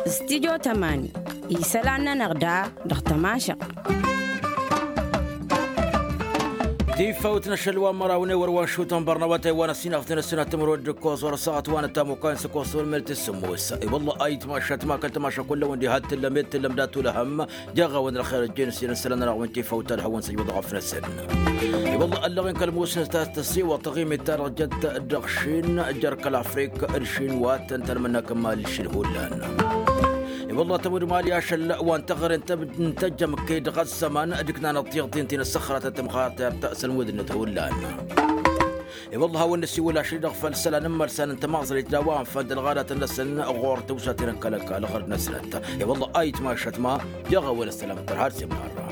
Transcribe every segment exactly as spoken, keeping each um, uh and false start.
Studio tămani isălan-nănăɣ da dăɣ-tămašăɣt. Tifawt n-ašăl wa n-măraw n-ewăr wa n-šutăn bărnăwătay wa n-ăssinăɣ tinăssinăt timǝrwăd d-ǝkkoẓ wăr-ăssaɣăt wa n-ăttamukkan s-ǝkkoẓ s-wăr-mel tǝssǝmmos. I-wălla ayǝtmašat ma kăl-tămaša kullăwăn diha t-tǝllăm ed tǝllăm dat-ulăhăm. Jaɣ-awăn ălxer ăjjeen s-inǝssălăn-anăɣ wăn tifawt talhăwăn săjbăḍ ɣăf-năsăn. I-wălla ăllăɣen kăl-musnăs ta s-tăsiwăḍ taɣimit-ta-dăɣ jăt dăɣ-šin jer-kăl-afrik d-šin wa tăn-tăn mănna kămmal šil hullan. I-wălla tămud mali ašăl wa n-tăɣre n-tăjjămke dăɣ-ăzzăman d-ǝknan ăṭṭiɣ-t-in ti n-ăssăxrătăt tămɣartert s-ălmud-net hullan. I-wălla a hawăn-năsiwǝl ašăl-i-dăɣ făll-isălan n-imărsan n-tămaẓrăyt d-a-wa ănfănd ălɣadatăn-năsăn ɣur-tăwsaten n-kăl-ăkall ɣărd-năsnăt. I-wălla a itmašăt ma jaɣ-a-wen ăssălam tărha d-semnarra.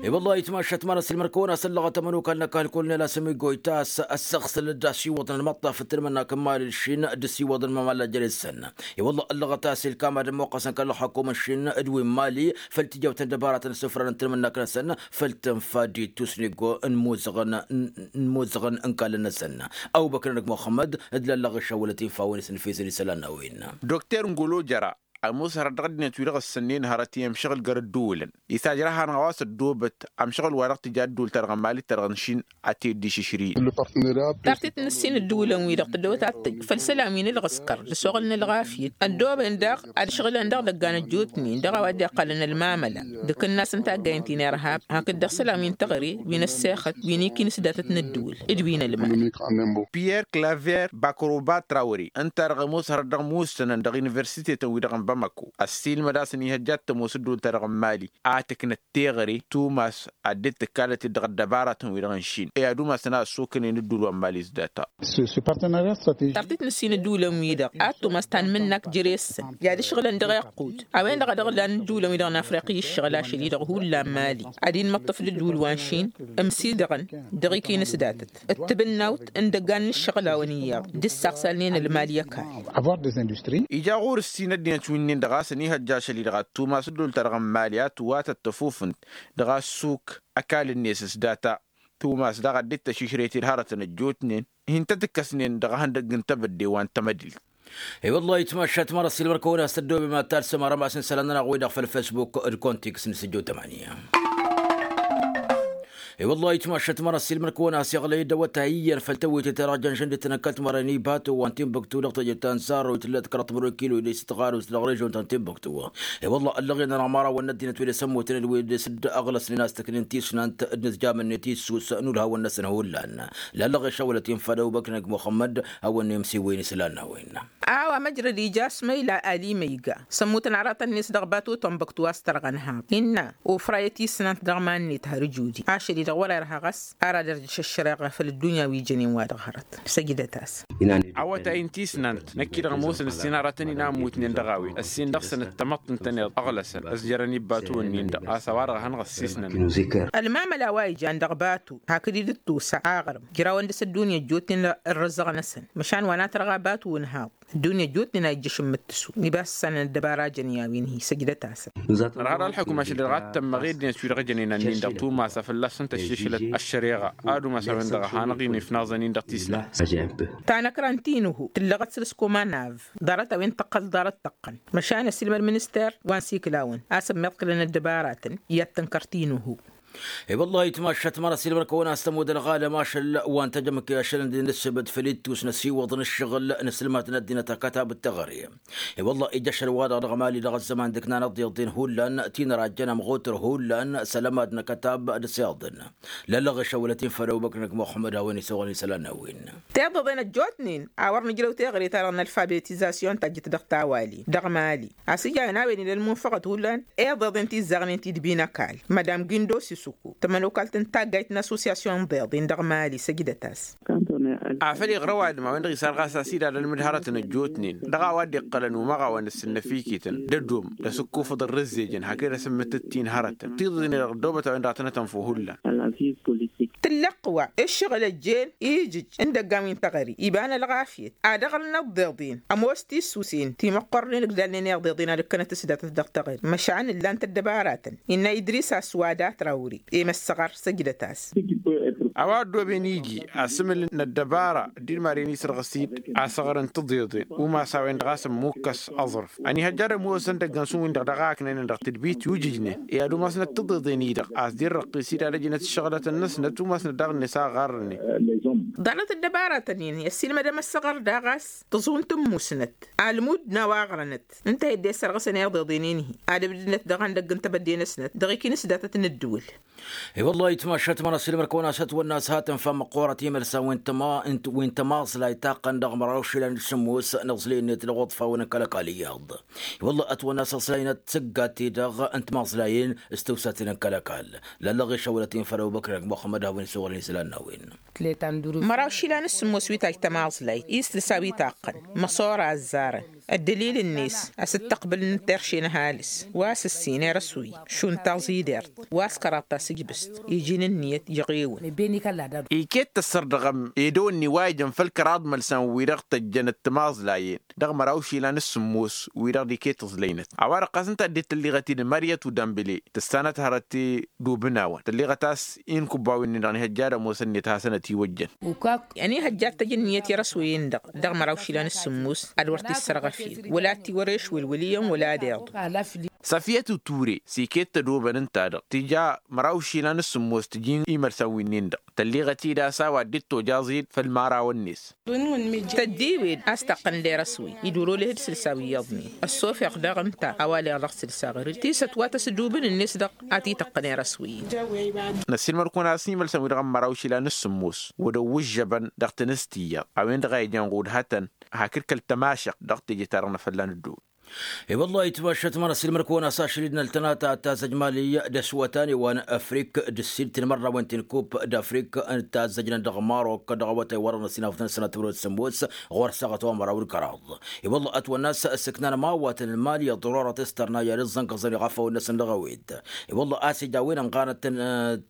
I-wălla a itmašăt ma n-ăsilmăr-kăwăn-asăllăɣăt ămănokal n-ăkall kăl-nel asǝmigoy ta s-ăssăɣsăl d-asiwăḍăn ălmăṭṭaf d-tǝlmǝnnak n-mali d-šin d-asiwăḍăn mamalla jere-săn. I-wălla ăllăɣăt a-s ilkam ad-ămmoqqăsăn kăl-ălxăkum n-šin d-wi n-mali făll-tijawt n-dăbaratăn s-ǝfrănăn tǝlmǝnnak-năsăn făll-tǝnfa d-ittus n-iggo n-imuzăɣăn n-imuzăɣăn n-ikallăn-năsăn. Ăwbăkr-nănăk muxămmăd d-lăllăɣ išăwălăt infa a-wen isǝnfisăn isălan n-a-wen. Dokter n-golo jăra ămoos hărăt dăɣ-ăddinăt-wi-dăɣ ǝssănnen hărăt i-ămšăɣǝl găr ădduulăn. Ităjrăha-năɣ a-wa s-ăddoobăt ămšăɣǝl-wa-dăɣ tǝja ădduult-ta-dăɣ n-mali d-ta-dăɣ n-išin ad-t-dd-išǝšrǝyǝl. Tartit n-ǝssin ădduulăn-wi-dăɣ tăddoobăt ad-tǝj făll-isălan wi n-ǝlɣǝskăr d-ăsoɣăl n-ălɣafyăt ăddoobăn daɣ ad-ǝšɣǝlăn daɣ dăggan ăjjootnen dăɣ-a-wa dd-iqqălăn ălmamăla d-akǝnnas n-taggayen ti n-irhab hakd-dăɣ isălan wi n-teɣăre wi n-ăssexăt wi n-ikinǝs datăt n-ădduul d-wi n-ălmam. Pierre claver bakroba trawre ǝnta-dăɣ ămoos hărăt dăɣ-imusǝnăn dăɣ-universitetăn-wi-dăɣ n-bamako ăssiilmăd a-s ănihăjja ad-tămoos ădduult-ta-dăɣ n-mali a tǝknăt teɣăre tumas ad-dd-tǝkkalăt-dd dăɣ-ăddăbaratăn-wi-dăɣ n-išin i-ad-umasăn a ăssokănen ădduul wa n-mali s-data. Tartit n-ǝssin ădduulăn-wi-dăɣ ad-tumas ta n-imǝnnak jere-săn i-ad-ǝšɣǝlăn dăɣ-iqqud a-wen-dăɣ a dăɣ-lan ădduulăn-wi-dăɣ n-afriqi ǝššăɣǝl ašăl-i-dăɣ hullan mali ad-inmăṭṭăf d-ădduul wa n-išin ǝmsidăɣăn dăɣ-ikinǝs datăt d-tibǝnnawt n-idăggan n-ǝššăɣǝl-awăn iyyăḍ d-ǝssaɣsalnen ălmal i-ăkall. Ija ɣur-ǝssin ăddinăt wi-nin-dăɣ a-s ănihăjja ašăl-i-dăɣ ad-tumas ădduult-ta-dăɣ n-mali a tǝwatăt tăfufǝnt dăɣ-assuk ăkall-net s-data tumas daɣ ad-dd-tăšišret ed-hărătăn ăjjootnen hin-tăt-ǝkkăsnen dăɣ-ehăndăgg n-tebădde wa n-tamădilt. I-wăllah itmašat măra s-ilmăr-kăwăn-as tăddoobem ad-talsăm arămas n-isălan-nănăɣ-wi-dăɣ făll-facebook d-kontiks n-sǝjjo tămănǝya. I-wăllah itmašat măra s-ilmăr-kăwăn-as iɣlăy-dd awătay iyyăn făll-tewwite-ta-dăɣ jăn žăndităn n-kăl-timărăyăn ibato wa n-tinbuktu dăɣ-teje ta n-sarro i-tǝllăt kăraḍ timǝrwen kilo i-dăɣ s-tɣarust dăɣ-režon ta n-tinbuktu. I-wăllah ăllăɣen-anăɣ mărawăn n-ăddinăt wi d-asămmutăn d-wi d-s-dd-ăɣlăsnen a-s tǝknen tisnant d-inǝzjamăn-net issus n-ulhawăn-năsăn hullan. Lallăɣ išăwălăt infa d-ăbubăkr-năk muxămmăd hawăn-nemsiwăyăn isălan n-a-wen. A-wa măjrăd ija s-măyla ali măyga s-ămmutăn aratăn-net dăɣ-batu tănbăktu a-s tărɣăn haḍ innă ofrayăt isnant dăɣ-iman-net har ǝjudi ašăl-i-dăɣ wăr-irha ɣas. Ar ad-ărjǝš ăššăreɣa făll-ăddunya wi jănen wa dăɣ-hărăt. Săjdăt-as. Awătay n-tisnant năkk-i-dăɣ ămoosăn ǝssin aratăn inamutnen dăɣ-a-wen ǝssin dăɣ-săn d-tamăḍt ǝntăneḍ ăɣlăsăn ăzjărăn ibbatuwăn-nin-dăɣ a-s a-wa-dăɣ a hanăɣ-ăssisnăn. Ălmamăla wa ijan dăɣ-batu hakd-dd-tusa aɣrǝm jrawăn dăɣ-s ăddunya ăjjootnen ărrǝzăɣ-năsăn măšan wa n-ad-tărɣa batu n-haḍ. Ăddunya ăjjootnen a ijjăš n-imǝttǝsu. Ibas s-săn ăddăbara jăn i-a-wen hi-săjdăt-asăn. Nărha d-ălḥukma ašăl-i-dăɣ ad-tămmăɣ i-ăddinăt wi-dăɣ ejănen ănnin-dăɣ tumas a fălla-săn tăššǝšǝlăt ăššăreɣa ad-umas a-wen-dăɣ a hanăɣ-in-ifnaẓăn-in dăɣ-tisla. Tanăkra n-tinuhu tǝllăɣăt săr-s komanab ḍarăt a-wen tăqqăl ḍarăt tăqqăn măšan ăsilmăd minister wa n-sikǝlawăn a-s ămmiḍkǝlăn ăddăbaratăn i-ad-tǝnkăr tinuhu. I-wăllah itmašat măra s-ilmăr-kăwăn-as tămud ălɣalăm ašăl wa n-tăjămke ašăl ǝndin d-ǝssǝbăd făll-ittus n-ăsiwăḍ n-ǝššăɣǝl n-asǝlmat n-ăddinăt akătab d-teɣăre. I-wăllah ija ašăl-wa-dăɣ dăɣ-mali dăɣ-ăzzăman d-ǝknan ăḍiḍen hullan tinărajjăn ămɣutăr hullan s-alămad n-akătab d-asiḍăn. Lăllăɣ išăwălăt-in făll-ăbubăkr-năk muxămmăd a-wen isăwălăn isălan n-a-wen. Tiḍeḍen ăjjootnen a wăr nǝjrăw teɣăre-ta-dăɣ n-alfabetizasyon tajjăt dăɣ-tawalin dăɣ-mali a-s ija a-wen ila ălmunfăɣăt hullan. Iḍeḍen ti ǝzzaɣnen ti d-binăkal madam gindo sisuku tămănokalt n-taggayt n-assosyasyon n-iḍeḍen dăɣ-mali săjdăt-as. Afăl iɣrăw adǝm a-wen-dăɣ isar ɣas a-s idad ălmǝd hărătăn ăjjootnen dăɣ-a-wa dd-iqqălăn umăɣawăn d-sǝnnăfikităn d-ădom d-asǝkkufăḍ ărrǝzzejăn hakd asǝmmǝttǝt-in hărătăn tiḍǝḍen-i-dăɣ ăddoobăt a-wen-dăɣ a tănăt-ănfăw hullan. Tǝllăqq wa ǝššăɣǝl ăjjeen ijǝj n-idăggan wi n-teɣăre iba n-ălɣafyăt ad-ăɣrǝn ăḍḍeḍen ămoos tissusen ti măqqornen ǝgdalnen iḍeḍen ad-ǝkkănăt s-datăt dăɣ-teɣăre măšan ǝllan-t ăddăbaratăn innă idris aswada trawri i-măssăɣăr săjdăt-as. A-wa ăddooben iji asǝmǝl n-ăddăbara dd-maren isărɣǝs-dd asăɣrăn tiḍeḍen umas a-wen-dăɣ a-s ămmukkăs aẓrǝf ănihăjja ad-ămoosăn dăgg-ănsun-win-dăɣ dăɣ-aknăynen dăɣ-tǝdbit i-ujǝjnen i-ad-umasnăt tiḍeḍen-i-dăɣ a-s dd-irrăqqis-dd ad-ăjnăt ǝššăɣlăt-năsnăt umasnăt daɣ-net aɣarrănen. Ḍarăt ăddăbaratăn-in i-ăssiilmădăm ăssăɣăr daɣ a-s tǝẓun tǝmmusnăt almud n-a-wa ăɣrănăt ǝnta a hi-dd-e-ăssărɣǝsăn iḍeḍen-in-hi ad-ǝbdǝnăt dăɣ-andăgg n-tebădde-năsnăt dăɣ-ikinǝs datăt n-ǝddǝwǝl. I-wălla-hi tmašat ma n-ăssiilmăr-kăwăn a-s ătwănna a-s hat ǝnfa măqqoorăt imălsan wi n-tămaẓlay taqqăn dăɣ-măraw išilan d-sǝmmos n-aẓlǝy-net dăɣ-uḍfa-wen n-kăl-ăkall iyyăḍ. I-wălla-hi ătwănna a-s ăẓlăynăt tǝggat ti-dăɣ n-timaẓlayen s-tǝwsaten n-kăl-ăkall lăllăɣ išăwălăt-in făll-ăbubăkr ăgg muxămmăd hawăn-isăwălăn isălan n-a-wen. Măraw išilan s-sǝmmos wi tajj tămaẓlayt i-s tǝlsa wi taqqăn măsora ăzzarăn ăddălil-net a-s dd-tăqbǝl n-terše n-ăhalǝs wa s-ǝssin erăswǝy šund taẓidert wa s-kăraḍ tasǝjbǝst iji n-ǝnniyăt iɣewăn. Iket tăssărdăɣăm edăwănni wa ijăn făll-kăraḍ mălsan wi-dăɣ tăjjănăt timaẓlayen dăɣ-măraw išilan s-sǝmmos wi-dăɣ d-iket ǝẓlăynăt a-wa-dăɣ ɣas ǝnta ăddinăt tălliɣăt-i d-măryăt udambǝle tǝssanăt hărăt i-dubǝnawăn tălliɣăt a-s inkubbawen-nin-dăɣ ănihăjja ad-ămoosăn-net hasăn-ătiwăjjăn. Ănihăjja ad-tăj ǝnniyăt i-erăswăyen-dăɣ dăɣ-măraw išilan s-sǝmmos ad-wăr t-issărɣăf-in wăla ad-tiwăreš wălwăl iyyăn wăla ad-iḍu. Săfiyăt uture s-iket tădobăn ǝnta-dăɣ tija măraw išilan s-sǝmmos tǝjin imălsan winnin-dăɣ tălliɣăt-dd a-s a-wa dd-tojjaẓ-dd făll-imărawăn-net. Tăddiwed a-s taqqăn lerăswăy iduroleh d-sǝlsaw iyyăḍnen ăssofeɣ daɣ ǝnta a-wa leɣ dăɣ-sǝlsa ɣăr-dd tisăt wa tăsdubǝn-net dăɣ-a t-ităqqăn erăswăy-in. Năssiilmăr-kăwăn a-s imălsăn-wi-dăɣ n-măraw išilan s-sǝmmos wăr-ăwwǝžžăbăn dăɣ-tinǝst iyyăḍ a-wen-dăɣ a ijăn ɣud hătăn hakd kăl-tămašăɣt dăɣ-teje-ta-dăɣ n-afălla n-ădduul. I-wăllah itmašat ma n-ăssiilmăr-kăwăn a-s ašăl-i d-năltănata ta zăjmali d-ăswătan i-wa n-afrik d-ǝssid tinmărrawen ti n-kup d-afrik ta zăjnăn dăɣ-marok dăɣ-awătay wa dăɣ-năssinafătăn sănatămrăwăt sămmos ɣur-săɣăt wa n-măraw d-kăraḍ. I-wăllah ătwănna a-s ǝssǝknan mawatăn n-mali ăḍrorăt s-tărna i-ad-ǝẓẓăn kăẓăn iɣafawăn-năsăn dăɣ-ewed. I-wăllah a-s ija a-wen ănɣanăt-tăn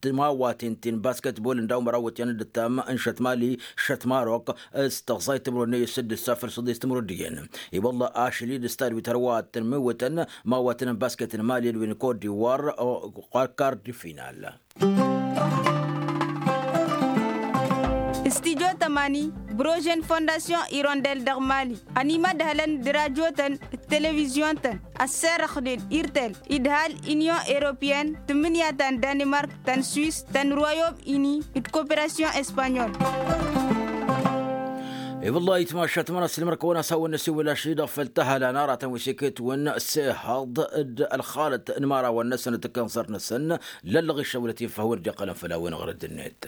timawaten ti n-basketbol n-daw-măraw iwǝtyan d-ǝttam n-šăt mali šăt marok s-tăẓẓayt timǝrwen n-eyy s-dd-ǝssa făll-s ǝḍis timǝrwen d-iyyăn. I-wăllah ašăl-i d-ǝstad wi tărwa tănmǝwǝtăn mawatăn n-basket n-mali d-wi n-kot d-iwar. Kard final. Studyo tămani brožen fondasyon irondel dăɣ-mali ănimădhălăn d-rajotăn d-televizyon-tăn ăsserăxnen irtel idhal inyon europeyăn tǝmmǝnǝya ta n-danimark ta n-swis ta n-royom ini d-koperasyon espanyol. I-wăllah itmašat ma n-ăssiilmăr kăwăn-as hawăn-năsiwǝl ašăl-i-dăɣ făll-tăhăla n-aratăn wi s-iket-wǝn s-ehăḍ d-ălxalăt n-imărawăn-năsăn d-tǝkkănẓărt-năsăn lăllăɣ išăwlăt-in făhwăn dd-iqqălăn făll-a-wen ɣărăd-net.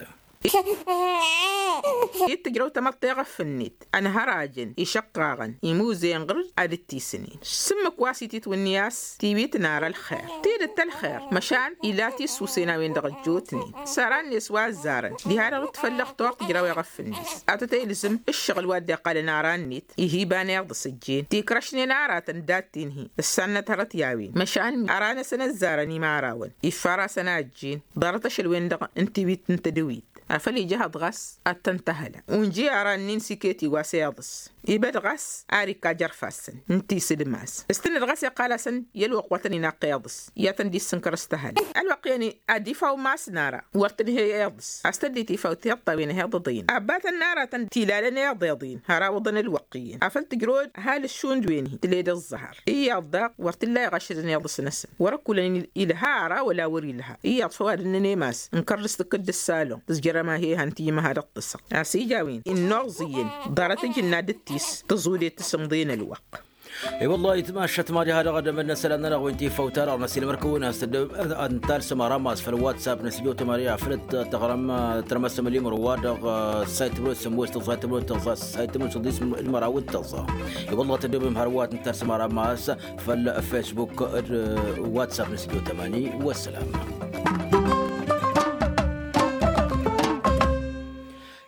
Ittǝjrăw tamăḍt teɣăf-net ănhărajăn išăqqaɣăn imuzen ɣǝr-dd ad-dd-tisǝnen s-ǝmmǝk wa s-ititwǝnni a-s tiwit n-ara ălxer tidǝt ălxer măšan ila tisusen a-wen-dăɣ ăjjootnen s-aran-net wa ăzzarăn diha-dăɣ d-tfăllăɣ toɣ tǝjraw eɣăf-net. Ad-tăt-e-ilzǝm ǝššăɣǝl wa dd-iqqalăn aran-net ihiba n-iḍǝs ǝjjen tikrăšnen aratăn dat-tin-hi ǝssannăt hărăt i-a-wen măšan aran-năsăn ăzzarăn imărawăn iffar-asăn a ǝjjen ḍarăt ašăl-wen-dăɣ n-tiwit n-tedăwit. Afăl ija ehăḍ ɣas ad-tăn-tăhăla unji aran-nin s-iket iwas iḍǝs ibăd ɣas ar ikka jărf-asăn n-tisǝdmas s-tǝnnăd ɣas iqqal-asăn i-ălwăqq wa tăn-inaqq iḍǝs i-ad-tăn-dd-issǝnkăr s-tăhăla. Ălwăqq-i-ănn ad-ifaw mas n-ara wăr tǝnhăy iḍǝs a-s tădd-itifaw tiṭṭawen ehăḍ iḍăyăn abatăn n-aratăn tilalăn iḍeḍ-in har awǝḍăn ălwăqq-i-en afăl tǝjrăwăd ăhalǝs šund wen-hi tǝled ǝẓẓăhăr iyyăḍ daɣ wăr t-illa iɣăššădăn iḍǝs-năsăn wăr-ăkkulăn ilha ara wăla wăr-ilha. Iyyăḍ făw ad-ǝnnăn emas n-kărdǝst tǝkkǝd d-ǝssalon tǝzjărăm a he-ihăn timǝha dăɣ-tǝsɣ a-s ija a-wen innuẓ iyyăn ḍarăt ǝjǝnna d-tis tǝẓude tǝsǝmḍe n-ălwăqq. I-wăllah itmašat mad-iha dăɣ-edămăd n-isălan-nănăɣ wi n-tifawt-ta-dăɣ n-ăsilmăr-kăwăn a-s tăddămăd ad-nǝtalsăm arammas făll-whatsapp n-asǝjot tamani afăl t-tăɣrăm tărmăsăm limăr wa dăɣ-sayt timǝrwet sămmos tăẓẓa timǝrwet tăẓẓa sayt timǝrwet săḍis limăraw d-tăẓẓa. I-wăllah tăddămăd hărwa ad-nǝtalsăm arammas făll-facebook d-whatsapp n-asǝjot tamani. Wăssălam.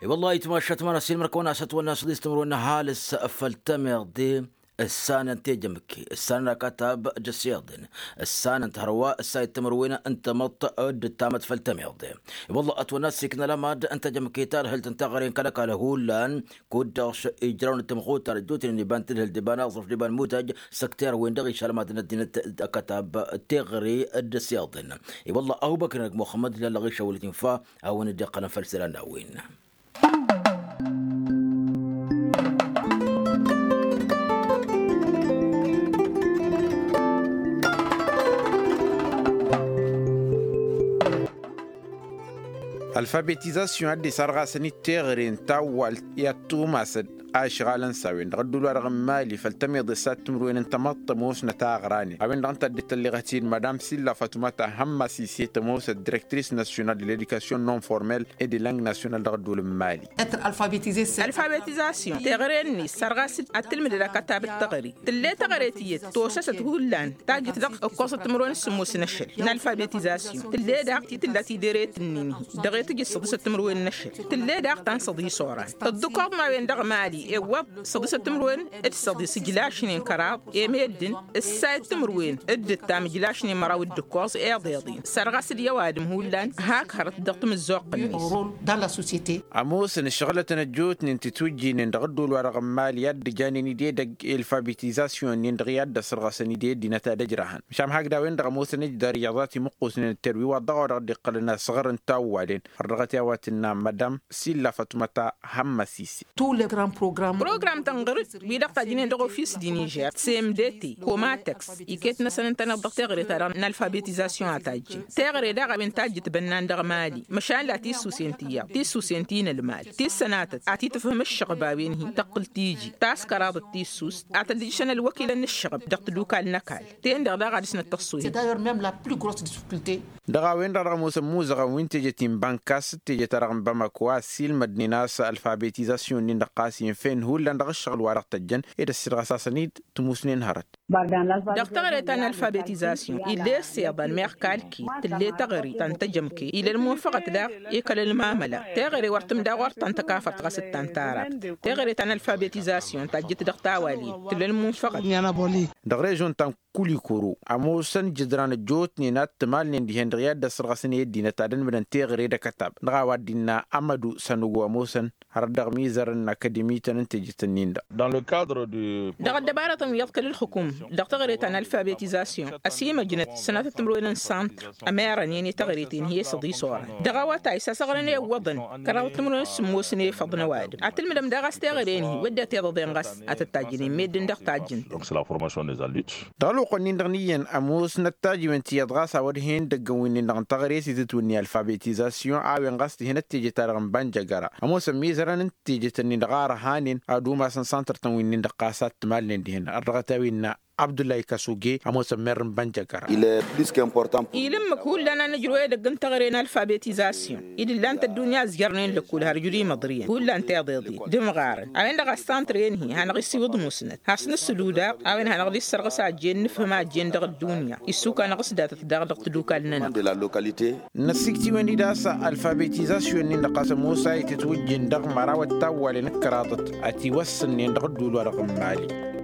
I-wăllah itmašat mad-ăsilmăr-kăwăn a-s ătwănna săḍis timǝrwet n-ăhalǝs făll-tămiḍe. Ǝssanăn tejămke ǝssanăn akatab d-ăssiḍen. Ǝssanăn tihărwa ǝssayăt timǝrwen n-tamăḍt d-ǝttamăt făll-tămiḍe. I-wălla ătwănna s-ikna lămad n-tejămke ta ălhǝlt n-teɣăre n-kăl-ăkall hullan. Kud-dăɣ ijraw n-tǝmɣutar ăjjootnen iba n-tǝlhǝlt d-iba n-aẓrǝf d-iba n-mutăj. Săkter-wen-dăɣ išălmad n-ăddinăt akatab teɣăre d-ăssiḍen. I-wălla ăbubăkr n-ăgg muxămmăd lallăɣ išăwălăt infa a-wen dd-iqqălăn făll-isălan n-a-wen. Alfabetizasyon a dd-isarɣasăn-dd teɣăre n-tawwalt i-ad-tumasăd a ăšɣalăn s-a-wen-dăɣ ădduul-wa-dăɣ n-mali făll-tămiḍe s-ad-timǝrwen n-tamăḍt ămoosnăt aɣranen a-wen-dăɣ ǝnta a dd-tălleɣăt-in madam silla fatuma tahămma sise tămoosăt direktris nasyonal de ledikasyon non-formel e de lang nasyonal dăɣ-ădduul n-mali. Alfabetizasyon teɣăre-net sărɣas-dd ad-tǝlmǝdăd akătab d-teɣăre. Tǝlle teɣăre tiyyăt tosăsăt hullan tajjǝt dăɣ-ǝkkoẓăt timǝrwen s-sǝmmos n-ašăl n-alfabetizasyon tǝlle daɣ ti tǝlla tideret-nin-hi dăɣ-e tǝjǝd săḍisăt timǝrwen n-ašăl. Tǝlle daɣ ta n-săḍis oran ǝḍḍǝkoḍ n-a-wen-dăɣ mali iwwăḍ săḍisăt timǝrwen d-săḍis ǝjlašnen kăraḍ i-meddǝn ǝssayăt timǝrwen d-ǝttam ǝjlašnen măraw d-ǝkkoẓ iḍeḍen sărɣas-dd i-ăwadǝm hullan. Hak hărăt dăɣ-tamǝzzuɣt-net. Ămoosăn ǝššăɣǝlătăn ăjjootnen titwǝjjinen dăɣ-ădduul-wa-dăɣ n-mali i-ad-dd-ǝjanen idedăgg i-alfabetizasyon-nin-dăɣ i-ad-dd-ăsărɣăsăn ide ăddinăt ad-ăjrahăn măšan hakd a-wen-dăɣ ămoosăn ǝjdar iyyăḍ a timǝqqusnen d-terwi wa dăɣ-a-wa dăɣ-dd-iqqălăn asăɣr n-tawwalen. Ărdăɣăt i-a-wa tǝnna madam silla fatuma tahămma sise. Program tănɣăr-dd wi-dăɣ tajjǝnen dăɣ-ofis d-inižer cmdt komatăks iket-năsăn ǝntăneḍ dăɣ-teɣăre-ta-dăɣ n-alfabetizasyon a tajjǝn teɣăre daɣ a-wen tajjǝt bănnan dăɣ-mali măšan la tissusen ti iyyăḍ tissusen ti n-ălmal ti ǝssănatăt ad-t-tǝfhǝm ǝššăɣb a-wen-hi tăqqǝl tiji taskăraḍăt tissust ad-tăllijǝšăn ălwăkilăn n-ǝššăɣb dăɣ-tadukal n-ăkall ten-dăɣ daɣ ad-dăɣ-snăt tăṣṣoyăn. Dăɣ-a-wen-dăɣ dăɣ-ămoosăn imuzăɣăn wi n-teje ti n-bankas d-teje-ta-dăɣ n-bamako a-s ilmădnen a-s alfabetizasyon-nin-dăɣ ɣas infen hullan dăɣ-ǝššăɣǝl wa dăɣ-tăjjăn ed ăssiilɣăsasăn-dd tǝmusnen hărăt. Dăɣ-teɣăre ta n-alfabetizasyon ill'-e ăssiḍăn meɣ kalkit tǝll'-e teɣăre ta n-tejămke ila ălmunfăɣăt daɣ i-kăl-ălmamăla teɣăre wăr tǝmda ɣur-ta n-tăkafărt ɣas d-ta n-tarabt. Teɣăre ta n-alfabetizasyon tajjǝt dăɣ-tawalin tǝll'-e ălmunfăɣăt. Dăɣ-režon ta n-kulikuru ămoosăn jǝdran ăjjootnen ad-t-ămalnen dihen-dăɣ i-ad-dd-ăsrăɣăsăn i-ăddinăt ad-ănmǝdăn teɣăre d-akătab dăɣ-a-wa dd-innă amădu sănugo ămoosăn hărăt dăɣ-mizărăn n-akădimităn n-tejet-ǝnnin-dăɣ. Dăɣ-ăddăbarătăn wi iḍkăl ǝlxǝkum dăɣ-teɣăre ta n-alfabetizasyon ăsimăjnăt sănatăt timǝrwen n-santr ămerănen i-teɣăre-ten hi-e săḍis oran dăɣ-awătay s-asăɣrăn i-iwwăḍăn kăraḍăt timǝrwen s-sǝmmos n-efăḍ n-ăwadǝm ad-tǝlmǝdăm daɣ a-s teɣăre-en-hi wădden tiḍăḍen ɣas ad-tăt-tajjǝnen meddǝn dăɣ-tajjǝn. Dăɣ-ălwăqq-nin-dăɣ n-iyyăn ămoosnăt tajiwen ti iyyăḍ ɣas a-wăr hen idăggăn wi-nin-dăɣ n-taɣre s-itǝtwǝnni alfabetizasyon a-wen ɣas tǝhen ăttejăt-ta-dăɣ n-bănjăgăra ămoosăn mizărăn n-tejăt-nin-dăɣ a ărhanen ad-umasăn santăr-tăn wi-nin-dăɣ ɣas a t-tǝmalnen dihen ărdăɣăt a-wen innă abdullahi kăsuge ămoosăn merr n-bănjăgăra. Ilǝmmǝk hullan a nǝjrǝw edăgg n-taɣre n-alfabetizasyon i-dd-ǝllan-t ăddunya ăzjărnen lăkkul har ǝjrǝw imăḍriyăn hullan tiḍeḍen d-imɣarăn a-wen-dăɣ a s-santăr-en-hi hanăɣ-isiwǝḍ musnăt has-nǝsǝlu daɣ a-wen hanăɣ-dd-issărɣǝs a ăjjeen nǝfhǝm a ăjjeen dăɣ-ăddunya. Issukka-năɣ s-datăt daɣ dăɣ-tadukal-nănăɣ. Năssikt'-iwen-dd a-s alfabetizasyon-nin-dăɣ ɣas ămoos a itǝtwǝjjǝn dăɣ-măraw ăttawwalen d-kăraḍăt ătiwăssǝnnen dăɣ-ădduul-wa-dăɣ n-mali.